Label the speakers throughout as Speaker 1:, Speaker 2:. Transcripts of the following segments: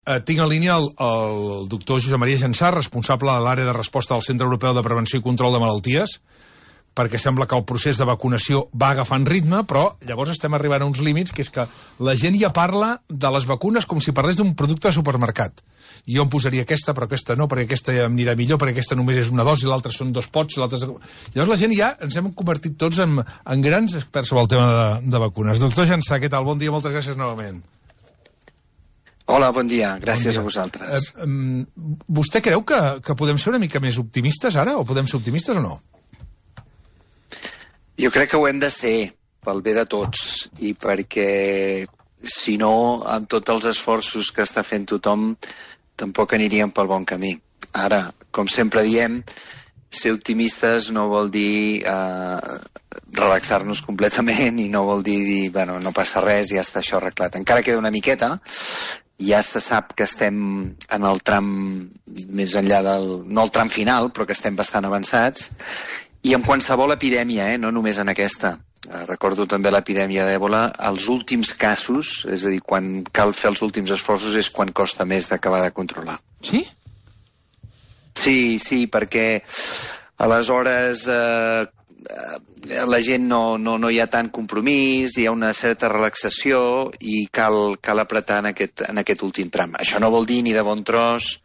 Speaker 1: Tinc en línia el doctor Josep Maria Jansà, responsable de l'àrea de resposta del Centre Europeu de Prevenció i Control de Malalties, perquè sembla que el procés de vacunació va agafant ritme, però llavors estem arribant a uns límits, que és que la gent ja parla de les vacunes com si parlés d'un producte de supermercat. Jo em posaria aquesta, però aquesta no, perquè aquesta ja em anirà millor, perquè aquesta només és una dosi, l'altra són 2 pots, l'altra... Llavors la gent ja ens hem convertit tots en grans experts sobre el tema de vacunes. Doctor Jansà, què tal? Bon dia, moltes gràcies novament.
Speaker 2: Hola, bon dia. Gràcies a vosaltres.
Speaker 1: Vostè creu que podem ser una mica més optimistes ara? O podem ser optimistes o no?
Speaker 2: Jo crec que ho hem de ser, pel bé de tots, i perquè, si no, amb tots els esforços que està fent tothom, tampoc aniríem pel bon camí. Ara, com sempre diem, ser optimistes no vol dir relaxar-nos completament i no vol dir, bueno, no passa res, ja està això arreglat. Encara queda una miqueta, ja se sap que estem en el tram més enllà no el tram final, però que estem bastant avançats, i en qualsevol epidèmia, no només en aquesta. Recordo també l'epidèmia d'Èbola, els últims casos, és a dir, quan cal fer els últims esforços és quan costa més d'acabar de controlar.
Speaker 1: Sí?
Speaker 2: Sí, perquè aleshores la gent no hi ha tant compromís, hi ha una certa relaxació i cal apretar en aquest últim tram. Això no vol dir ni de bon tros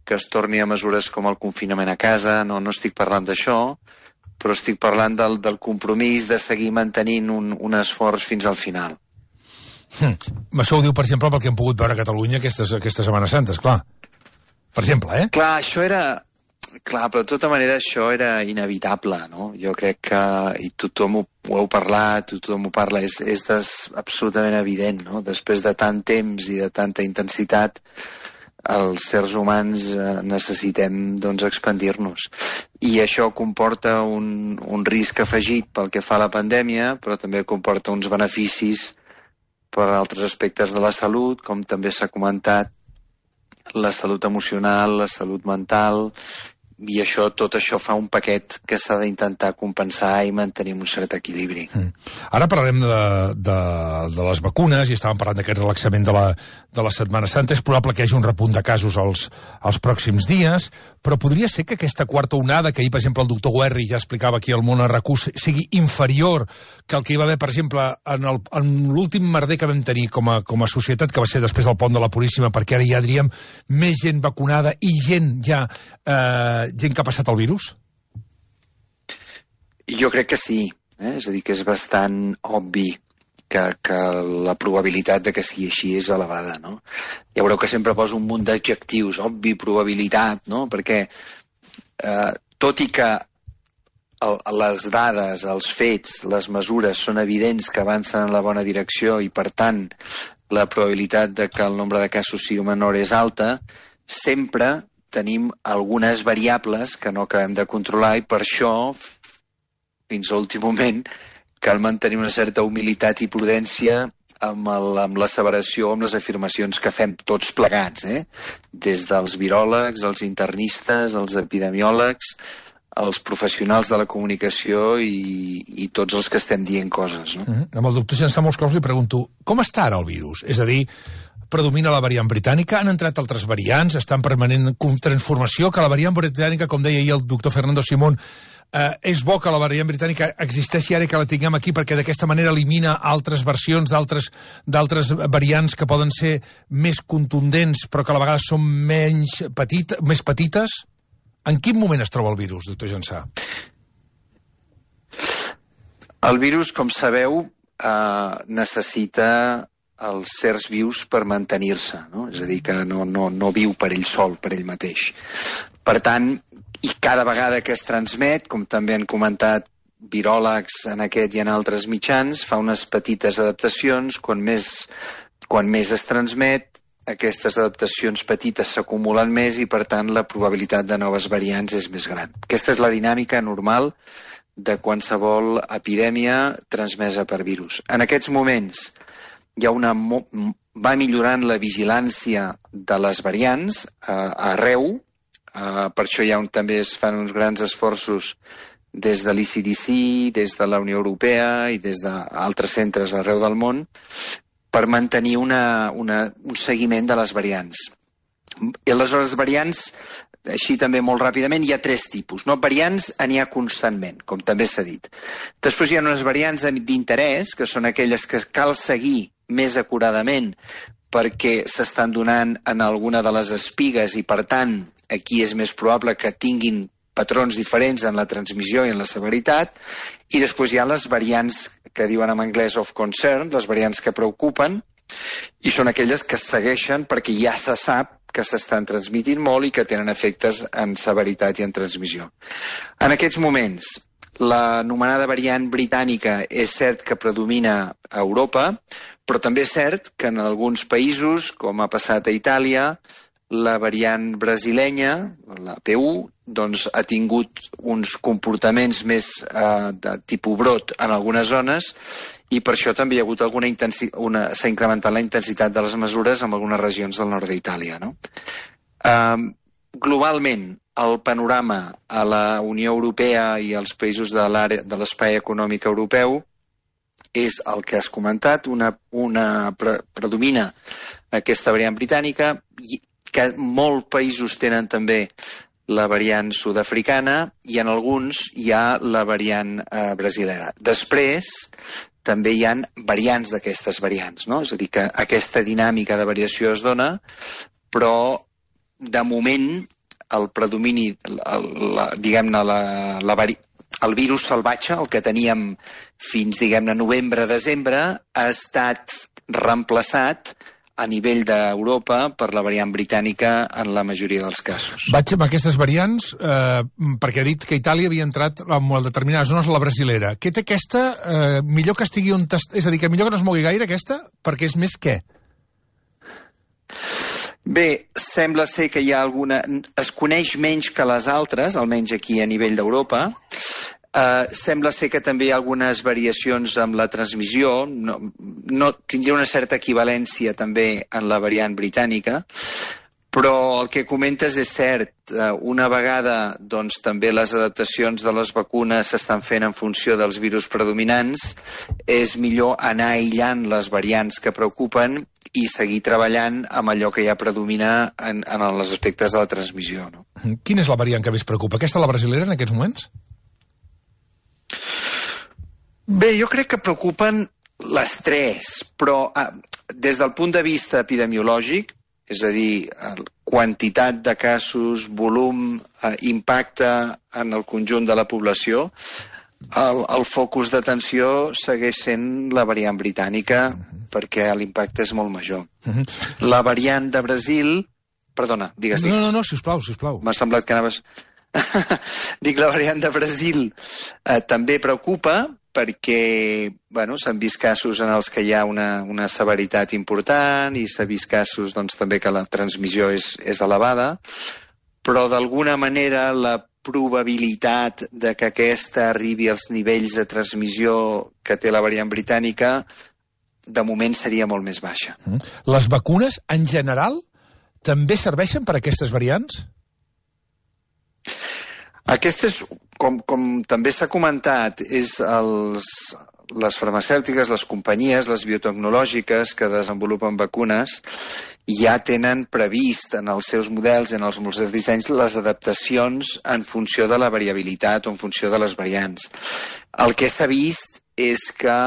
Speaker 2: que es torni a mesures com el confinament a casa, no estic parlant d'això, però estic parlant del compromís de seguir mantenint un esforç fins al final.
Speaker 1: Això ho diu, per exemple, pel que hem pogut veure a Catalunya aquestes Setmanes Santes, clar. Per exemple,
Speaker 2: Clar, això era... Clar, però de tota manera això era inevitable, no? Jo crec que, i tothom ho heu parlat, tothom ho parla, és absolutament evident, no? Després de tant temps i de tanta intensitat, els sers humans necessitem, doncs, expandir-nos. I això comporta un risc afegit pel que fa a la pandèmia, però també comporta uns beneficis per altres aspectes de la salut, com també s'ha comentat, la salut emocional, la salut mental, i tot això fa un paquet que s'ha d'intentar compensar i mantenir un cert equilibri.
Speaker 1: Ara parlarem de les vacunes i estàvem parlant d'aquest relaxament de la Setmana Santa. És probable que hi hagi un repunt de casos els pròxims dies, però podria ser que aquesta quarta onada, que ahir, per exemple, el doctor Guerri ja explicava aquí al Món RQ, sigui inferior que el que hi va haver, per exemple, en l'últim merder que vam tenir com a societat, que va ser després del pont de la Puríssima, perquè ara ja diríem més gent vacunada i gent que ha passat el virus?
Speaker 2: Jo crec que sí. És a dir, que és bastant obvi que la probabilitat de que sigui així és elevada, no? Ja veureu que sempre poso un munt d'adjectius, obvi, probabilitat, no? Perquè tot i que les dades, els fets, les mesures són evidents que avancen en la bona direcció i, per tant, la probabilitat de que el nombre de casos sigui menor és alta, sempre tenim algunes variables que no acabem de controlar i per això, fins a l'últim moment, cal mantenir una certa humilitat i prudència amb l'asseveració, amb les afirmacions que fem tots plegats, des dels viròlegs, els internistes, els epidemiòlegs, els professionals de la comunicació i tots els que estem dient coses. No?
Speaker 1: Amb el doctor Jansà molts cops li pregunto, com està ara el virus? És a dir, predomina la variant britànica, han entrat altres variants, està en permanent transformació, que la variant britànica, com deia ahir el doctor Fernando Simón, és bo que la variant britànica existeixi ara i que la tinguem aquí perquè d'aquesta manera elimina altres versions d'altres variants que poden ser més contundents però que a la vegada són més petites. En quin moment es troba el virus, doctor Jansà?
Speaker 2: El virus, com sabeu, necessita els sers vius per mantenir-se, no? És a dir, que no viu per ell sol, per ell mateix. Per tant, i cada vegada que es transmet, com també han comentat viròlegs en aquest i en altres mitjans, fa unes petites adaptacions, quan més es transmet, aquestes adaptacions petites s'acumulen més i, per tant, la probabilitat de noves variants és més gran. Aquesta és la dinàmica normal de qualsevol epidèmia transmesa per virus. En aquests moments va millorant la vigilància de les variants arreu, per això també es fan uns grans esforços des de l'ECDC, des de la Unió Europea i des d'altres centres arreu del món per mantenir un seguiment de les variants. I aleshores variants, així també molt ràpidament, hi ha 3 tipus. No? Variants n'hi ha constantment, com també s'ha dit. Després hi ha unes variants d'interès, que són aquelles que cal seguir més acuradament perquè s'estan donant en alguna de les espigues i, per tant, aquí és més probable que tinguin patrons diferents en la transmissió i en la severitat. I després hi ha les variants que diuen en anglès of concern, les variants que preocupen, i són aquelles que segueixen perquè ja se sap que s'estan transmitint molt i que tenen efectes en severitat i en transmissió. En aquests moments, l'anomenada variant britànica és cert que predomina a Europa, però també és cert que en alguns països, com ha passat a Itàlia, la variant brasilenya, la P1, doncs ha tingut uns comportaments més de tipus brot en algunes zones i per això també hi ha hagut s'ha incrementat la intensitat de les mesures en algunes regions del nord d'Itàlia. No? Globalment, el panorama a la Unió Europea i als països de l'espai econòmic europeu és el que has comentat, predomina aquesta variant britànica, que molts països tenen també la variant sud-africana i en alguns hi ha la variant brasilera. Després, també hi ha variants d'aquestes variants, no? És a dir, que aquesta dinàmica de variació es dona, però de moment el predomini, diguem-ne, el virus salvatge, el que teníem fins, diguem-ne, novembre-desembre, ha estat reemplaçat a nivell d'Europa per la variant britànica en la majoria dels casos.
Speaker 1: Vaig amb aquestes variants perquè ha dit que Itàlia havia entrat en determinades zones a la brasilera. Què té aquesta? Millor que estigui on... És a dir, que millor que no es mogui gaire aquesta, perquè és més què?
Speaker 2: Bé, sembla ser que hi ha alguna... Es coneix menys que les altres, almenys aquí a nivell d'Europa. Sembla ser que també hi ha algunes variacions amb la transmissió, no tindria una certa equivalència també en la variant britànica, però el que comentes és cert. Una vegada doncs, també les adaptacions de les vacunes s'estan fent en funció dels virus predominants, és millor anar aïllant les variants que preocupen i seguir treballant amb allò que ja predomina en els aspectes de la transmissió. No?
Speaker 1: Quina és la variant que més preocupa? Aquesta, la brasilera, en aquests moments?
Speaker 2: Bé, jo crec que preocupen les 3, però des del punt de vista epidemiològic, és a dir, quantitat de casos, volum, impacte en el conjunt de la població, el focus d'atenció segueix sent la variant britànica perquè l'impacte és molt major. La variant de Brasil... Perdona, digues.
Speaker 1: No, sisplau.
Speaker 2: M'ha semblat que anaves... Dic, la variant de Brasil també preocupa perquè s'han vist casos en els que hi ha una severitat important i s'ha vist casos també que la transmissió és elevada, però d'alguna manera la probabilitat de que aquesta arribi als nivells de transmissió que té la variant britànica de moment seria molt més baixa.
Speaker 1: Les vacunes, en general, també serveixen per a aquestes variants?
Speaker 2: Aquestes, com també s'ha comentat, és les farmacèutiques, les companyies, les biotecnològiques que desenvolupen vacunes ja tenen previst en els seus models, en els seus dissenys, les adaptacions en funció de la variabilitat o en funció de les variants. El que s'ha vist és que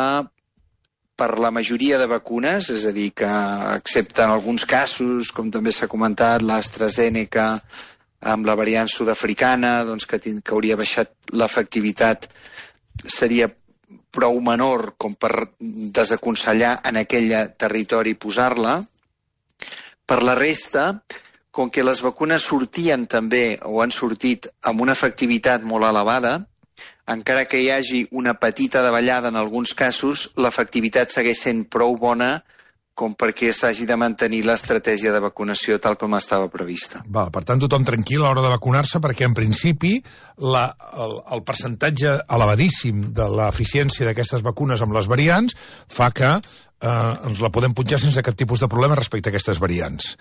Speaker 2: per la majoria de vacunes, és a dir, que excepte en alguns casos, com també s'ha comentat, l'AstraZeneca, amb la variant sud-africana, que hauria baixat l'efectivitat, seria prou menor com per desaconsellar en aquell territori posar-la. Per la resta, com que les vacunes sortien també, o han sortit, amb una efectivitat molt elevada, encara que hi hagi una petita davallada en alguns casos, l'efectivitat segueix sent prou bona com perquè s'hagi de mantenir l'estratègia de vacunació tal com estava prevista.
Speaker 1: Per tant, tothom tranquil a l'hora de vacunar-se, perquè en principi el percentatge elevadíssim de l'eficiència d'aquestes vacunes amb les variants fa que ens la podem punxar sense cap tipus de problema respecte a aquestes variants.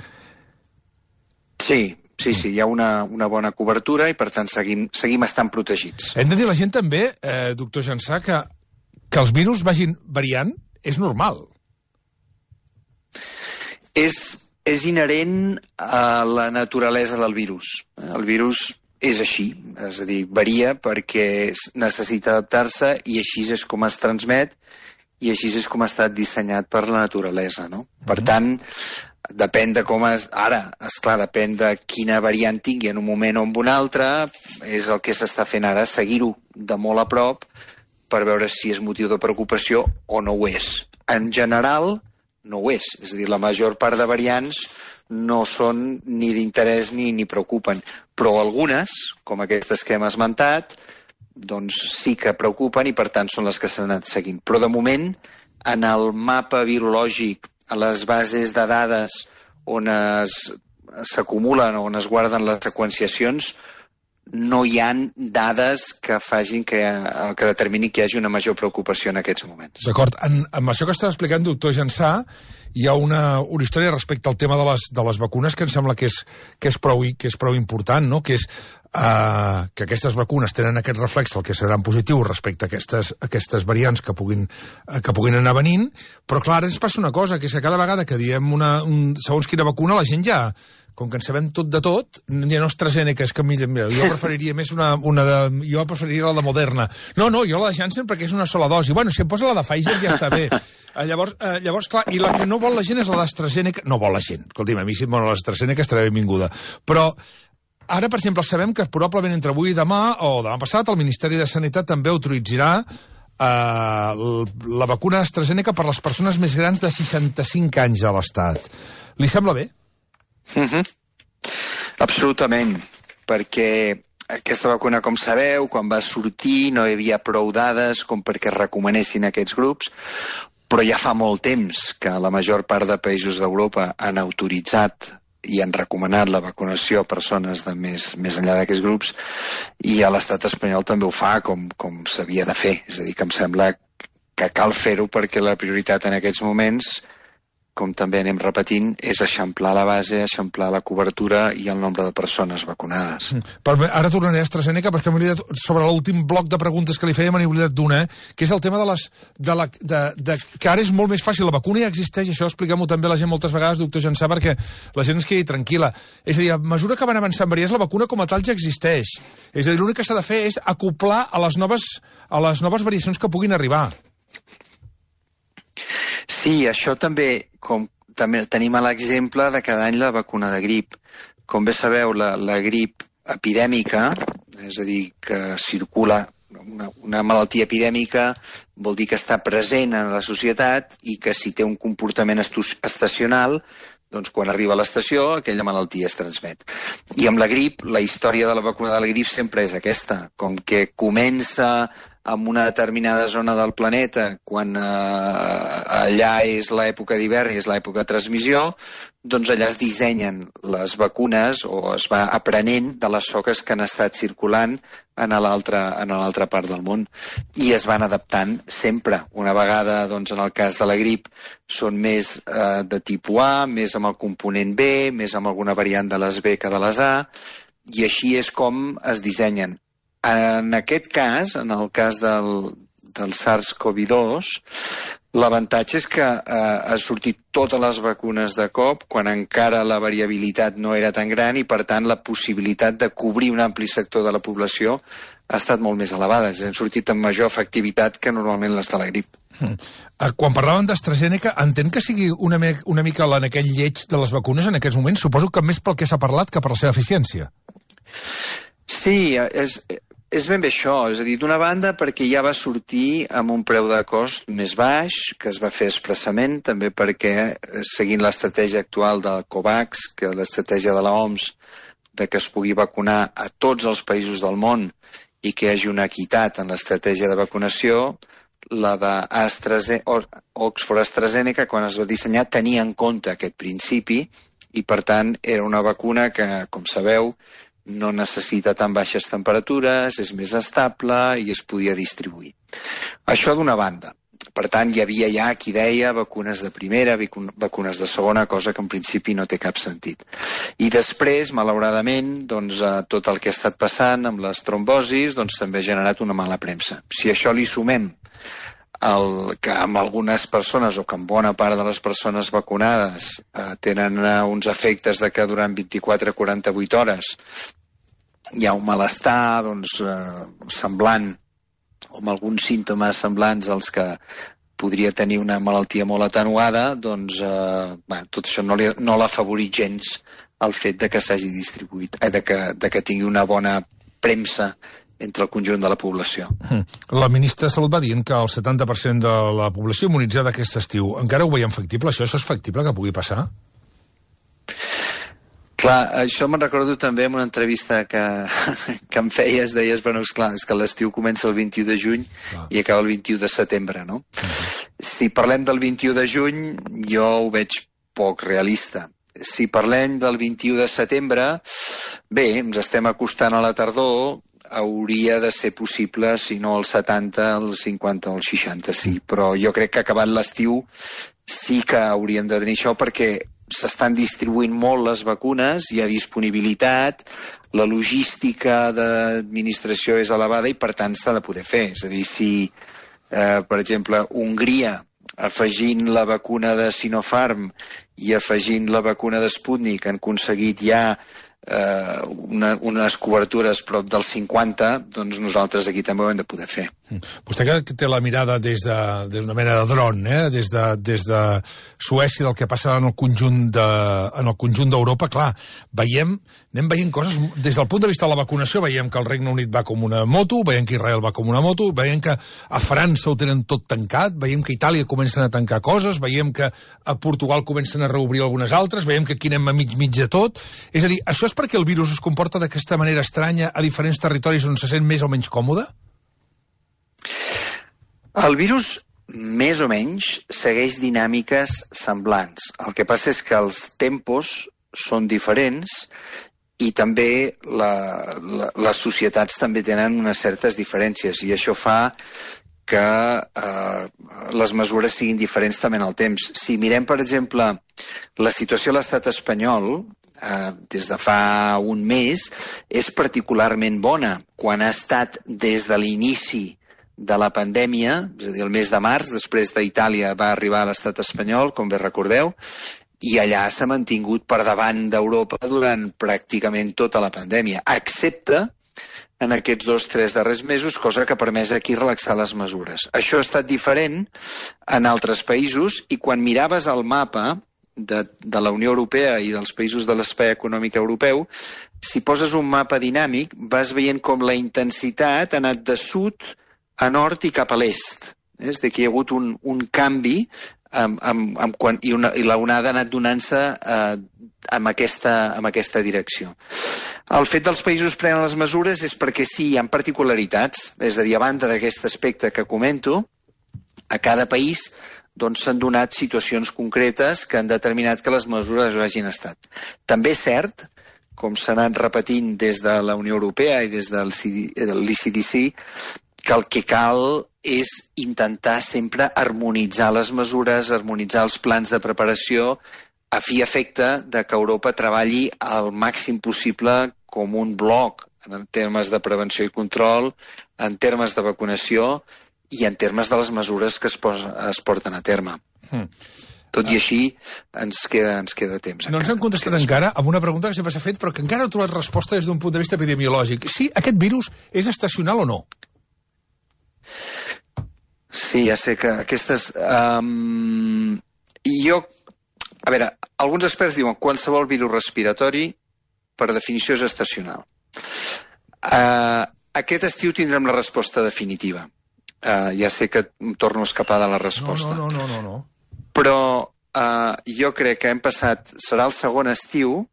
Speaker 2: Sí, hi ha una bona cobertura i per tant seguim estant protegits.
Speaker 1: Hem de dir a la gent també, doctor Jansà, que els virus vagin variant és normal.
Speaker 2: És És inherent a la naturalesa del virus. El virus és així, és a dir, varia perquè necessita adaptar-se i així és com es transmet i així és com ha estat dissenyat per la naturalesa, no? Per tant, depèn de com és... Ara, esclar, depèn de quina variant tingui en un moment o en un altre, és el que s'està fent ara, seguir-ho de molt a prop per veure si és motiu de preocupació o no ho és. En general, no ho és. És a dir, la major part de variants no són ni d'interès ni preocupen. Però algunes, com aquestes que hem esmentat, doncs sí que preocupen i per tant són les que s'han anat seguint. Però de moment, en el mapa virològic, a les bases de dades on s'acumulen o on es guarden les seqüenciacions, no hi ha dades que facin que determini que hi hagi una major preocupació en aquests moments.
Speaker 1: D'acord. Amb això que està explicant, doctor Jansà, hi ha una història respecte al tema de les vacunes que em sembla que és prou important, no? Que és que aquestes vacunes tenen aquest reflex, el que seran positius respecte a aquestes variants que puguin anar venint, però clar, ara ens passa una cosa, que és que cada vegada que diem segons quina vacuna, la gent ja, com que en sabem tot de tot, ja no AstraZeneca, és que mira, jo preferiria més jo preferiria la de Moderna. No, jo la de Janssen perquè és una sola dosi. Bueno, si em posa la de Pfizer ja està bé. Llavors, clar, i la que no vol la gent és la d'AstraZeneca. No vol la gent. Escolti'm, a mi si em vol l'AstraZeneca estarà benvinguda. Però ara, per exemple, sabem que probablement entre avui i demà, o demà passat, el Ministeri de Sanitat també autoritzarà la vacuna AstraZeneca per les persones més grans de 65 anys a l'Estat. Li sembla bé?
Speaker 2: Absolutament, perquè aquesta vacuna, com sabeu, quan va sortir no hi havia prou dades com perquè recomanessin aquests grups, però ja fa molt temps que la major part de països d'Europa han autoritzat i han recomanat la vacunació a persones de més enllà d'aquests grups, i a l'estat espanyol també ho fa com s'havia de fer. És a dir, que em sembla que cal fer-ho perquè la prioritat en aquests moments, com també anem repetint, és eixamplar la base, eixamplar la cobertura i el nombre de persones vacunades.
Speaker 1: Ara tornaré a AstraZeneca, perquè m'he oblidat, sobre l'últim bloc de preguntes que li feia, m'he oblidat d'una, que és el tema que ara és molt més fàcil. La vacuna ja existeix, això expliquem-ho també a la gent moltes vegades, doctor Jansà, perquè la gent es quedi tranquil·la. És a dir, a mesura que van avançant variants, la vacuna com a tal ja existeix. És a dir, l'únic que s'ha de fer és acoplar a les noves variacions que puguin arribar.
Speaker 2: Sí, això també tenim l'exemple de cada any la vacuna de grip. Com bé sabeu, la grip epidèmica, és a dir, que circula una malaltia epidèmica, vol dir que està present en la societat i que si té un comportament estacional, doncs quan arriba a l'estació aquella malaltia es transmet. I amb la grip, la història de la vacuna de la grip sempre és aquesta, com que comença en una determinada zona del planeta, quan allà és l'època d'hivern i és l'època de transmissió, doncs allà es dissenyen les vacunes o es va aprenent de les soques que han estat circulant en l'altra part del món. I es van adaptant sempre. Una vegada, doncs, en el cas de la grip, són més de tipus A, més amb el component B, més amb alguna variant de les B que de les A, i així és com es dissenyen. En aquest cas, en el cas del SARS-CoV-2, l'avantatge és que han sortit totes les vacunes de cop quan encara la variabilitat no era tan gran i, per tant, la possibilitat de cobrir un ampli sector de la població ha estat molt més elevada. Han sortit amb major efectivitat que normalment les de la grip.
Speaker 1: Quan parlàvem d'AstraZeneca, entenc que sigui una mica en aquell lleig de les vacunes en aquests moments? Suposo que més pel que s'ha parlat que per la seva eficiència.
Speaker 2: Sí, és ben bé això, és a dir, d'una banda perquè ja va sortir amb un preu de cost més baix, que es va fer expressament, també perquè, seguint l'estratègia actual del COVAX, que l'estratègia de l'OMS, de que es pugui vacunar a tots els països del món i que hi hagi una equitat en l'estratègia de vacunació, la d'Oxford AstraZeneca, quan es va dissenyar, tenia en compte aquest principi i, per tant, era una vacuna que, com sabeu, no necessita tan baixes temperatures, és més estable i es podia distribuir. Això d'una banda. Per tant, hi havia ja qui deia vacunes de primera, vacunes de segona, cosa que en principi no té cap sentit. I després, malauradament, doncs, tot el que ha estat passant amb les trombosis doncs, també ha generat una mala premsa. Si això li sumem que amb algunes persones, o que amb bona part de les persones vacunades tenen uns efectes de que durant 24-48 hores hi ha un malestar semblant, o amb alguns símptomes semblants als que podria tenir una malaltia molt atenuada, tot això no l'afavorit gens el fet de que s'hagi distribuït, de que tingui una bona premsa entre el conjunt de la població.
Speaker 1: La ministra de Salut va dient que el 70% de la població immunitzada aquest estiu. Encara ho veiem factible? Això és factible que pugui passar?
Speaker 2: Clar, això me'n recordo també en una entrevista que em feies, deies, és que l'estiu comença el 21 de juny i acaba el 21 de setembre, no? Si parlem del 21 de juny, jo ho veig poc realista. Si parlem del 21 de setembre, bé, ens estem acostant a la tardor, hauria de ser possible, si no el 70, el 50 o el 60, sí. Però jo crec que acabat l'estiu sí que hauríem de tenir això, perquè s'estan distribuint molt les vacunes, hi ha disponibilitat, la logística d'administració és elevada i, per tant, s'ha de poder fer. És a dir, si, per exemple, Hongria, afegint la vacuna de Sinopharm i afegint la vacuna de Sputnik, han aconseguit ja unes cobertures prop del 50, doncs nosaltres aquí també ho hem de poder fer.
Speaker 1: Vostè que té la mirada des d'una mena de dron, des de Suècia, del que passa en el conjunt d'Europa, clar, anem veient coses, des del punt de vista de la vacunació, veiem que el Regne Unit va com una moto, veiem que Israel va com una moto, veiem que a França ho tenen tot tancat, veiem que a Itàlia comencen a tancar coses, veiem que a Portugal comencen a reobrir algunes altres, veiem que aquí anem a mig de tot. És a dir, això és perquè el virus es comporta d'aquesta manera estranya a diferents territoris on se sent més o menys còmode?
Speaker 2: El virus, més o menys, segueix dinàmiques semblants. El que passa és que els tempos són diferents i també les societats també tenen unes certes diferències, i això fa que les mesures siguin diferents també en el temps. Si mirem, per exemple, la situació a l'estat espanyol, des de fa un mes, és particularment bona, quan ha estat des de l'inici de la pandèmia, és a dir, el mes de març, després d'Itàlia va arribar a l'estat espanyol, com bé recordeu, i allà s'ha mantingut per davant d'Europa durant pràcticament tota la pandèmia, excepte en aquests 2-3 darrers mesos, cosa que ha permès aquí relaxar les mesures. Això ha estat diferent en altres països, i quan miraves el mapa de la Unió Europea i dels països de l'espai econòmic europeu, si poses un mapa dinàmic, vas veient com la intensitat ha anat de sud a nord i cap a l'est. És dir, que hi ha hagut un canvi i l'onada ha anat donant-se en aquesta direcció. El fet dels països prenen les mesures és perquè sí, hi ha particularitats, és a dir, a banda d'aquest aspecte que comento, a cada país s'han donat situacions concretes que han determinat que les mesures ho hagin estat. També és cert, com s'ha anat repetint des de la Unió Europea i des de l'ECDC, que el que cal és intentar sempre harmonitzar les mesures, harmonitzar els plans de preparació, a fi i efecte de que Europa treballi al màxim possible com un bloc en termes de prevenció i control, en termes de vacunació i en termes de les mesures que es porten a terme. Tot i així, ens queda temps.
Speaker 1: No ens hem contestat encara amb una pregunta que sempre s'ha fet, però que encara no ha trobat resposta des d'un punt de vista epidemiològic. Sí, aquest virus és estacional o no?
Speaker 2: Sí, ja sé que aquestes... A veure, alguns experts diuen que qualsevol virus respiratori, per definició, és estacional. Aquest estiu tindrem la resposta definitiva. Ja sé que em torno a escapar de la resposta.
Speaker 1: No.
Speaker 2: Però jo crec que hem passat... Serà el segon estiu.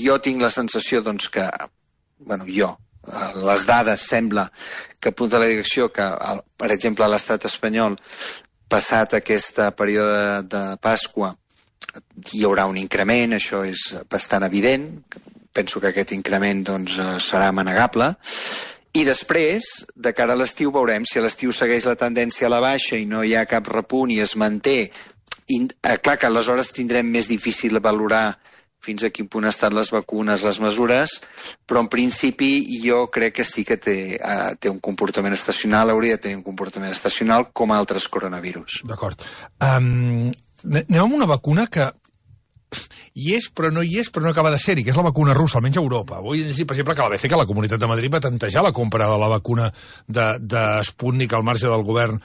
Speaker 2: Jo tinc la sensació, que... les dades sembla que apunta a la direcció que, per exemple, a l'estat espanyol, passat aquest període de Pasqua, hi haurà un increment, això és bastant evident, penso que aquest increment serà manegable, i després, de cara a l'estiu, veurem si a l'estiu segueix la tendència a la baixa i no hi ha cap repunt i es manté. Clar que aleshores tindrem més difícil valorar fins a quin punt estan les vacunes, les mesures, però en principi jo crec que sí que té un comportament estacional, hauria de tenir un comportament estacional com altres coronavirus.
Speaker 1: D'acord. Anem amb una vacuna que hi és, però no acaba de ser-hi, que és la vacuna russa, almenys a Europa. Vull dir, per exemple, que la BCE, que la Comunitat de Madrid, va tantejar la compra de la vacuna de Sputnik al marge del govern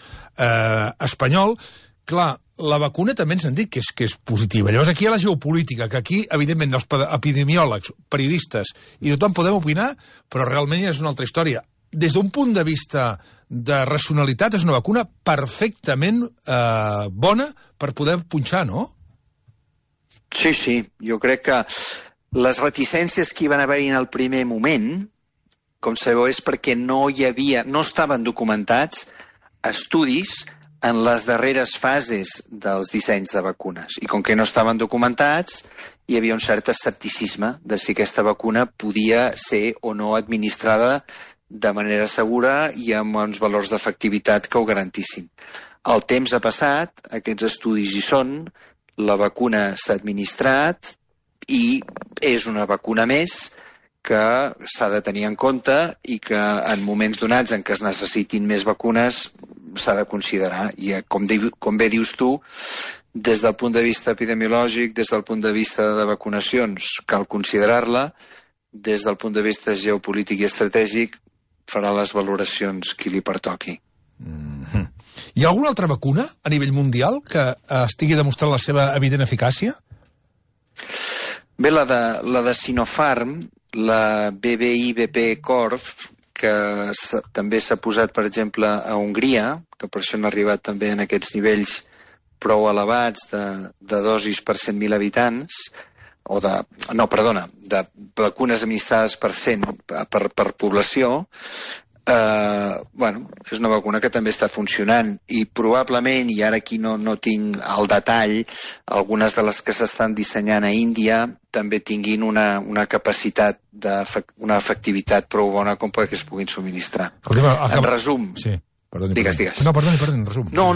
Speaker 1: espanyol. Clar, la vacuna també ens han dit que és positiva. Llavors aquí hi ha la geopolítica, que aquí, evidentment, els epidemiòlegs, periodistes i tothom podem opinar, però realment és una altra història. Des d'un punt de vista de racionalitat, és una vacuna perfectament bona per poder punxar, no?
Speaker 2: Sí, jo crec que les reticències que hi van haver en el primer moment, com sabeu, és perquè no estaven documentats estudis en les darreres fases dels dissenys de vacunes. I com que no estaven documentats, hi havia un cert escepticisme de si aquesta vacuna podia ser o no administrada de manera segura i amb uns valors d'efectivitat que ho garantissin. El temps ha passat, aquests estudis hi són, la vacuna s'ha administrat i és una vacuna més que s'ha de tenir en compte i que en moments donats en què es necessitin més vacunes s'ha de considerar. I com bé dius tu, des del punt de vista epidemiològic, des del punt de vista de vacunacions, cal considerar-la, des del punt de vista geopolític i estratègic farà les valoracions qui li pertoqui.
Speaker 1: Hi ha alguna altra vacuna a nivell mundial que estigui demostrant la seva evident eficàcia?
Speaker 2: Bé, la de Sinopharm, la BBI-BP Corv, que també s'ha posat, per exemple, a Hongria, que per això han arribat també en aquests nivells prou elevats de dosis per 100.000 habitants, de vacunes administrades per població. És una vacuna que també està funcionant i probablement, i ara aquí no tinc el detall, algunes de les que s'estan dissenyant a Índia també tinguin una capacitat, una efectivitat prou bona com perquè es puguin subministrar. En resum...
Speaker 1: Sí.
Speaker 2: Digues.
Speaker 1: No, perdoni, en resum.
Speaker 2: No,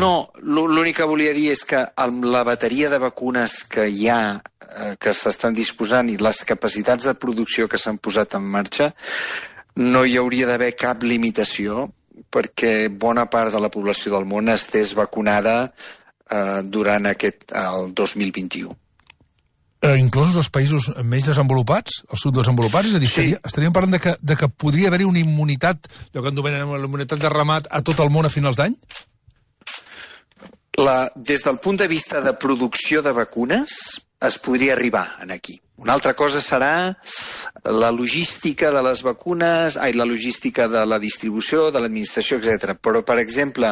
Speaker 2: l'únic que volia dir és que amb la bateria de vacunes que hi ha, que s'estan disposant, i les capacitats de producció que s'han posat en marxa, no hi hauria d'haver cap limitació perquè bona part de la població del món estés vacunada durant el 2021.
Speaker 1: Inclosos els països menys desenvolupats, els subdesenvolupats? És a dir, sí. Estaríem parlant de que podria haver-hi una immunitat, allò que anomenem la immunitat de ramat, a tot el món a finals d'any?
Speaker 2: Des del punt de vista de producció de vacunes, es podria arribar aquí. Una altra cosa serà la logística de les vacunes, la logística de la distribució, de l'administració, etc. Però, per exemple,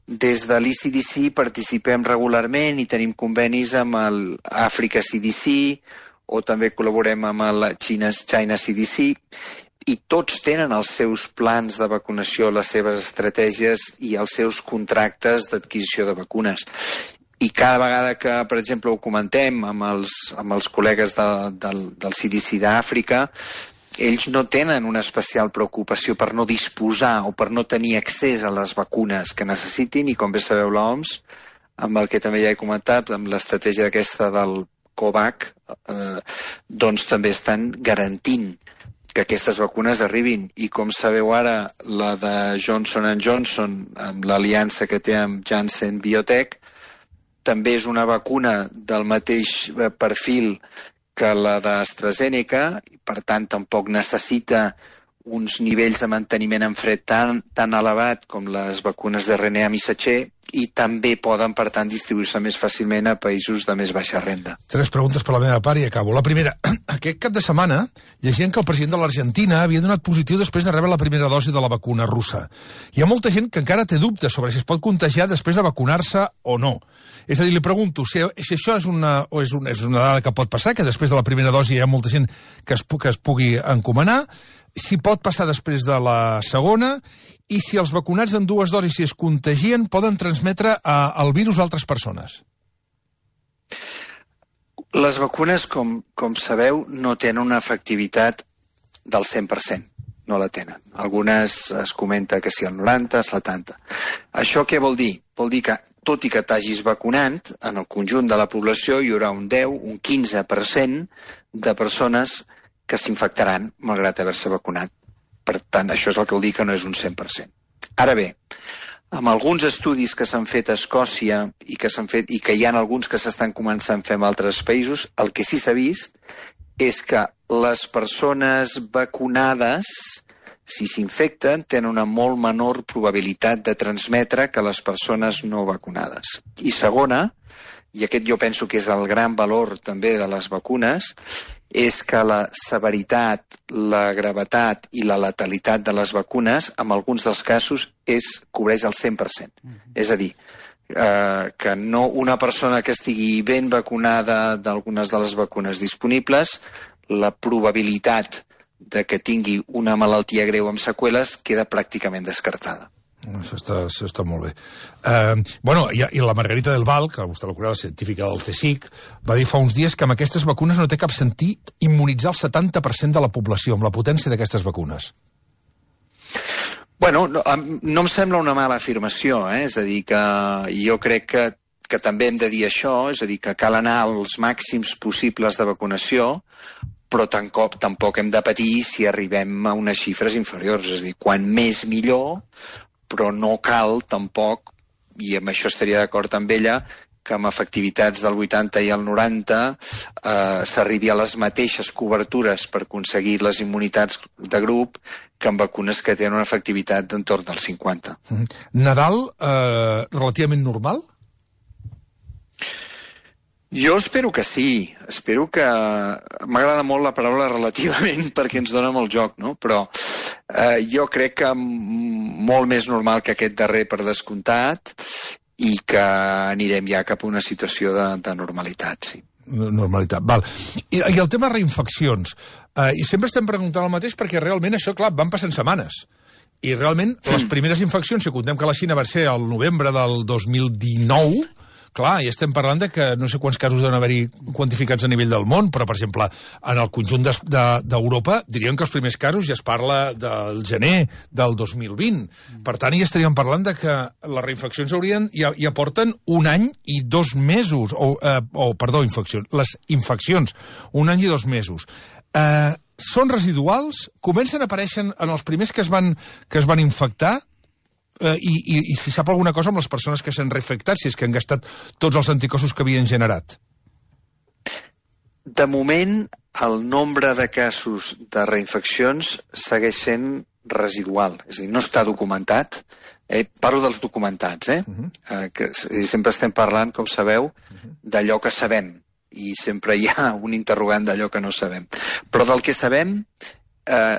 Speaker 2: des de l'ECDC participem regularment i tenim convenis amb l'Àfrica CDC o també col·laborem amb la China CDC i tots tenen els seus plans de vacunació, les seves estratègies i els seus contractes d'adquisició de vacunes. I cada vegada que, per exemple, ho comentem amb els col·legues del CDC d'Àfrica, ells no tenen una especial preocupació per no disposar o per no tenir accés a les vacunes que necessitin, i com bé sabeu l'OMS, amb el que també ja he comentat, amb l'estratègia aquesta del COVAX, doncs també estan garantint que aquestes vacunes arribin. I com sabeu ara, la de Johnson & Johnson, amb l'aliança que té amb Janssen Biotech, també és una vacuna del mateix perfil que la d'AstraZeneca, i per tant tampoc necessita uns nivells de manteniment en fred tan elevat com les vacunes de RNA missatger, i també poden, per tant, distribuir-se més fàcilment a països de més baixa renda.
Speaker 1: 3 preguntes per la meva part i acabo. La primera, aquest cap de setmana llegien que el president de l'Argentina havia donat positiu després de rebre la primera dosi de la vacuna russa. Hi ha molta gent que encara té dubtes sobre si es pot contagiar després de vacunar-se o no. És a dir, li pregunto si això és una dada que pot passar, que després de la primera dosi hi ha molta gent que es pugui encomanar, si pot passar després de la segona, i si els vacunats en 2 dosis, si es contagien, poden transmetre el virus a altres persones.
Speaker 2: Les vacunes, com sabeu, no tenen una efectivitat del 100%. No la tenen. Algunes es comenta que sí el 90, 70. Això què vol dir? Vol dir que tot i que t'hagis vacunat, en el conjunt de la població hi haurà un 10, un 15% de persones que s'infectaran malgrat haver-se vacunat. Per tant, això és el que vol dir que no és un 100%. Ara bé, amb alguns estudis que s'han fet a Escòcia i que hi ha alguns que s'estan començant a fer en altres països, el que sí s'ha vist és que les persones vacunades, si s'infecten, tenen una molt menor probabilitat de transmetre que les persones no vacunades. I segona, i aquest jo penso que és el gran valor també de les vacunes, és que la severitat, la gravetat i la letalitat de les vacunes, en alguns dels casos, cobreix el 100%. És a dir, que no una persona que estigui ben vacunada d'algunes de les vacunes disponibles, la probabilitat de que tingui una malaltia greu amb seqüeles queda pràcticament descartada.
Speaker 1: Això està molt bé. I la Margarita del Val, que vostè la coneix, la científica del CSIC, va dir fa uns dies que amb aquestes vacunes no té cap sentit immunitzar el 70% de la població, amb la potència d'aquestes vacunes.
Speaker 2: Bueno, no em sembla una mala afirmació, és a dir, que jo crec que també hem de dir això, és a dir, que cal anar als màxims possibles de vacunació, però tampoc hem de patir si arribem a unes xifres inferiors, és a dir, quan més millor, però no cal tampoc, i amb això estaria d'acord amb ella, que amb efectivitats del 80 i el 90 s'arribi a les mateixes cobertures per aconseguir les immunitats de grup que amb vacunes que tenen una efectivitat d'entorn del 50.
Speaker 1: Nadal, relativament normal?
Speaker 2: Jo espero que sí, espero que... M'agrada molt la paraula relativament perquè ens dona molt joc, no? Però jo crec que molt més normal que aquest darrer per descomptat i que anirem ja cap a una situació de normalitat, sí.
Speaker 1: Normalitat, val. I el tema reinfeccions. I sempre estem preguntant el mateix perquè realment això, clar, van passant setmanes. I realment les primeres infeccions, si contem que la Xina va ser al novembre del 2019... Clar, i estem parlant de que no sé quants casos deuen haver-hi quantificats a nivell del món, però, per exemple, en el conjunt d'Europa diríem que els primers casos ja es parla del gener del 2020. Per tant, ja estaríem parlant de que les reinfeccions ja porten un any i 2 mesos, les infeccions, un any i 2 mesos. Són residuals? Comencen a aparèixer en els primers que es van infectar? I si sap alguna cosa amb les persones que s'han reinfectat, si és que han gastat tots els anticossos que havien generat?
Speaker 2: De moment, el nombre de casos de reinfeccions segueix sent residual, és a dir, no està documentat. Parlo dels documentats, que sempre estem parlant, com sabeu, d'allò que sabem, i sempre hi ha un interrogant d'allò que no sabem. Però del que sabem,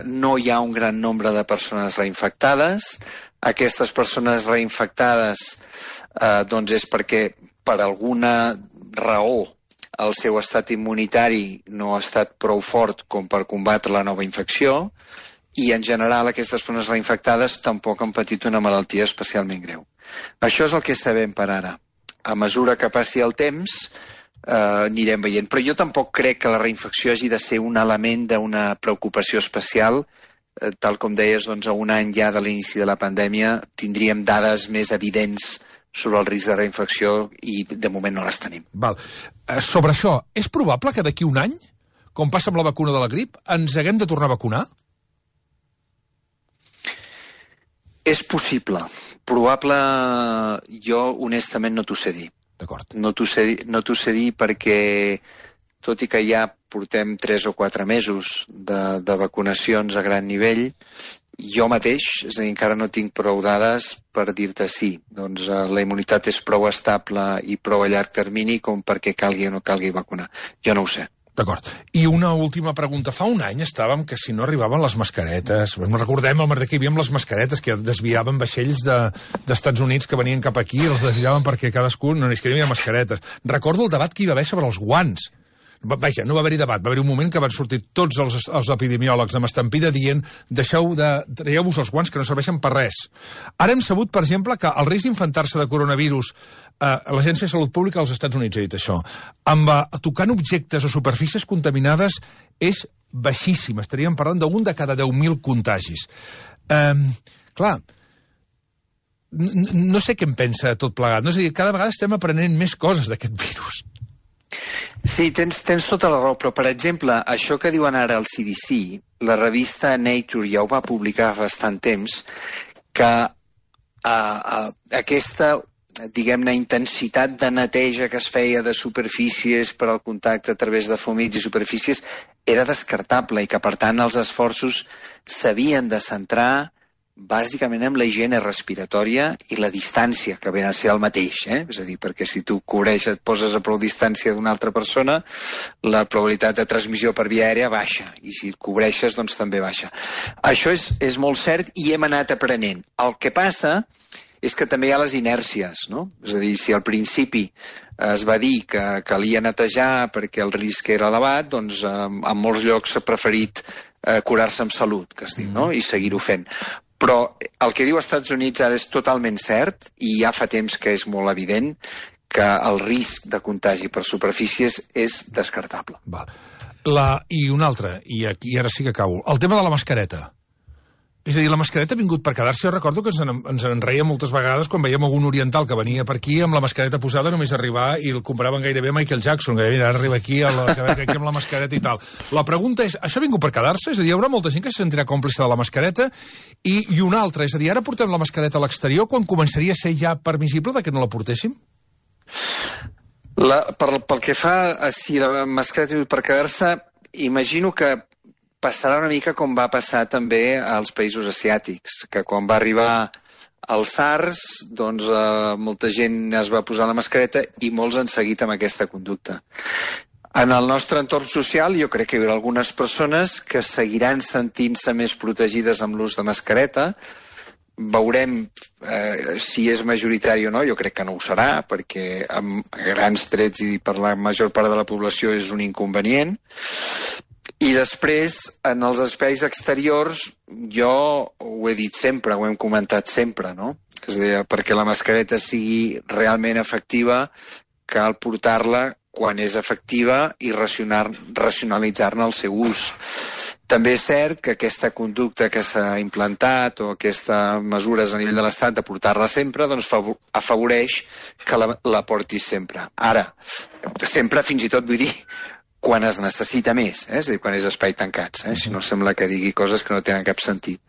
Speaker 2: no hi ha un gran nombre de persones reinfectades. Aquestes persones reinfectades doncs és perquè per alguna raó el seu estat immunitari no ha estat prou fort com per combatre la nova infecció i en general aquestes persones reinfectades tampoc han patit una malaltia especialment greu. Això és el que sabem per ara. A mesura que passi el temps anirem veient. Però jo tampoc crec que la reinfecció hagi de ser un element d'una preocupació especial. Tal com deies, doncs, a un any ja de l'inici de la pandèmia tindríem dades més evidents sobre el risc de reinfecció i de moment no les tenim.
Speaker 1: Val. Sobre això, és probable que d'aquí un any, com passa amb la vacuna de la grip, ens haguem de tornar a vacunar?
Speaker 2: És possible. Probable, jo honestament no t'ho sé dir.
Speaker 1: D'acord.
Speaker 2: No t'ho sé dir perquè, tot i que ja portem 3 o 4 mesos de vacunacions a gran nivell, jo mateix, és a dir, encara no tinc prou dades per dir-te sí. Doncs la immunitat és prou estable i prou a llarg termini com perquè calgui o no calgui vacunar. Jo no ho sé.
Speaker 1: D'acord. I una última pregunta. Fa un any estàvem que si no arribaven les mascaretes, recordem el merder que hi havia amb les mascaretes, que desviaven vaixells d'Estats Units que venien cap aquí, els desviaven perquè cadascú no n'hi havia mascaretes. Recordo el debat que hi va haver sobre els guants. Vaja, no va haver-hi debat, va haver-hi un moment que van sortir tots els epidemiòlegs amb estampida dient traieu-vos els guants que no serveixen per res. Ara hem sabut, per exemple, que el risc d'infectar-se de coronavirus, l'Agència de Salut Pública als Estats Units ha dit això, tocant objectes o superfícies contaminades és baixíssim. Estaríem parlant d'un de cada 10.000 contagis. Clar, no sé què em pensa tot plegat. No? És a dir, cada vegada estem aprenent més coses d'aquest virus.
Speaker 2: Sí, tens tota la raó, però, per exemple, això que diuen ara al CDC, la revista Nature ja ho va publicar fa bastant temps, que aquesta, diguem-ne, intensitat de neteja que es feia de superfícies per al contacte a través de fumits i superfícies era descartable i que, per tant, els esforços s'havien de centrar bàsicament amb la higiene respiratòria i la distància, que ve a ser el mateix, És a dir, perquè si tu cobreixes, et poses a prou distància d'una altra persona, la probabilitat de transmissió per via aèria baixa, i si et cobreixes, doncs també baixa. Això és molt cert i hem anat aprenent. El que passa és que també hi ha les inèrcies, no? És a dir, si al principi es va dir que calia netejar perquè el risc era elevat, doncs en molts llocs s'ha preferit curar-se amb salut, que es diu, no? I seguir-ho fent. Però el que diu als Estats Units ara és totalment cert i ja fa temps que és molt evident que el risc de contagi per superfícies és descartable.
Speaker 1: Val. I una altra, i aquí ara sí que acabo. El tema de la mascareta. És a dir, la mascareta ha vingut per quedar-se. Jo recordo que ens en reia moltes vegades quan veiem algun oriental que venia per aquí amb la mascareta posada, només arribar i el comparaven gairebé Michael Jackson, que ara arriba aquí, aquí amb la mascareta i tal. La pregunta és, això ha vingut per quedar-se? És a dir, hi haurà molta gent que se sentirà còmplice de la mascareta i una altra, és a dir, ara portem la mascareta a l'exterior quan començaria a ser ja permissible de que no la portéssim?
Speaker 2: Pel que fa a si la mascareta ha vingut per quedar-se, imagino que passarà una mica com va passar també als països asiàtics, que quan va arribar el SARS, doncs molta gent es va posar la mascareta i molts han seguit amb aquesta conducta. En el nostre entorn social jo crec que hi haurà algunes persones que seguiran sentint-se més protegides amb l'ús de mascareta. Veurem si és majoritari o no, jo crec que no ho serà, perquè amb grans trets i per la major part de la població és un inconvenient. I després, en els espais exteriors, jo ho he dit sempre, ho hem comentat sempre, no? És a dir, perquè la mascareta sigui realment efectiva, cal portar-la quan és efectiva i racionalitzar-ne el seu ús. També és cert que aquesta conducta que s'ha implantat o aquestes mesures a nivell de l'Estat de portar-la sempre, doncs afavoreix que la portis sempre. Ara, sempre fins i tot vull dir quan es necessita més, és a dir, quan és espai tancats, si no sembla que digui coses que no tenen cap sentit.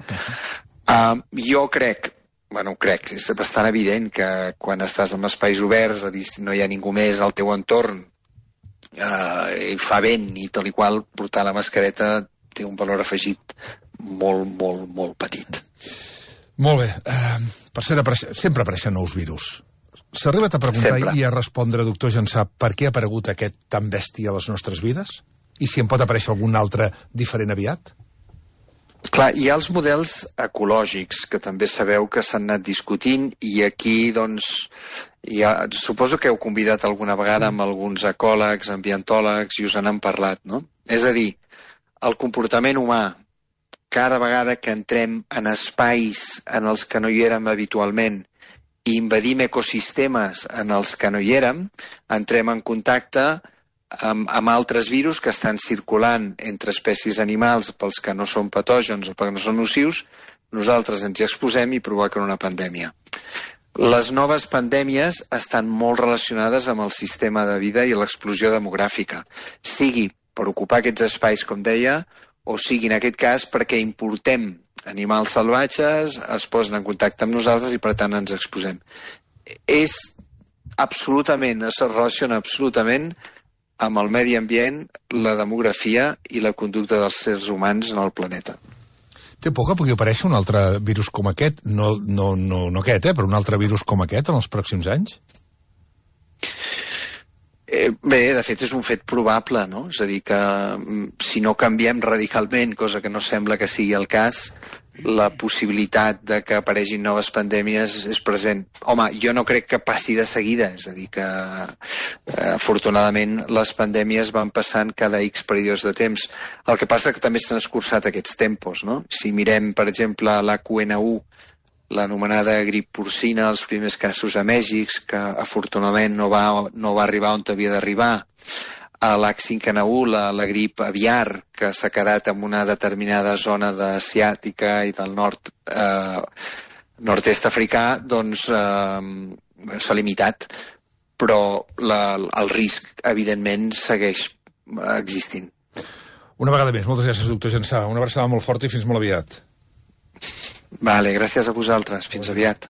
Speaker 2: Jo crec, és bastant evident que quan estàs en espais oberts, a dir, no hi ha ningú més al teu entorn, i fa vent i tal i qual, portar la mascareta té un valor afegit molt, molt, molt petit.
Speaker 1: Molt bé. Sempre apareixen nous virus. S'ha arribat a preguntar sempre i a respondre, doctor Jansà, per què ha aparegut aquest tan bèstia a les nostres vides? I si en pot aparèixer algun altre diferent aviat?
Speaker 2: Clar, hi ha els models ecològics, que també sabeu que s'han anat discutint, i aquí, doncs, suposo que heu convidat alguna vegada amb alguns ecòlegs, ambientòlegs, i us n'han parlat, no? És a dir, el comportament humà, cada vegada que entrem en espais en els que no hi érem habitualment, i invadim ecosistemes en els que no hi érem, entrem en contacte amb altres virus que estan circulant entre espècies animals pels que no són patògens o perquè no són nocius, nosaltres ens hi exposem i provoquen una pandèmia. Les noves pandèmies estan molt relacionades amb el sistema de vida i l'explosió demogràfica, sigui per ocupar aquests espais, com deia, o sigui, en aquest cas, perquè importem animals salvatges, es posen en contacte amb nosaltres i per tant ens exposem. Es relaciona absolutament amb el medi ambient, la demografia i la conducta dels éssers humans en el planeta.
Speaker 1: Té por que pugui aparèixer un altre virus com aquest? No aquest, però un altre virus com aquest en els pròxims anys?
Speaker 2: Bé, de fet és un fet probable, no? És a dir, que si no canviem radicalment, cosa que no sembla que sigui el cas, la possibilitat de que aparegin noves pandèmies és present. Home, jo no crec que passi de seguida, és a dir, que afortunadament les pandèmies van passant cada X períodes de temps. El que passa que també s'han escurçat aquests tempos, no? Si mirem, per exemple, l'H1N1, l'anomenada grip porcina, els primers casos a Mèxic, que afortunadament no va arribar on havia d'arribar, a l'H5N1, la grip aviar, que s'ha quedat en una determinada zona asiàtica i del nord nord-est africà, doncs s'ha limitat, però el risc, evidentment, segueix existint.
Speaker 1: Una vegada més, moltes gràcies, doctor Jansà. Una abraçada molt forta i fins molt aviat.
Speaker 2: Vale, gràcies a vosaltres. Fins aviat.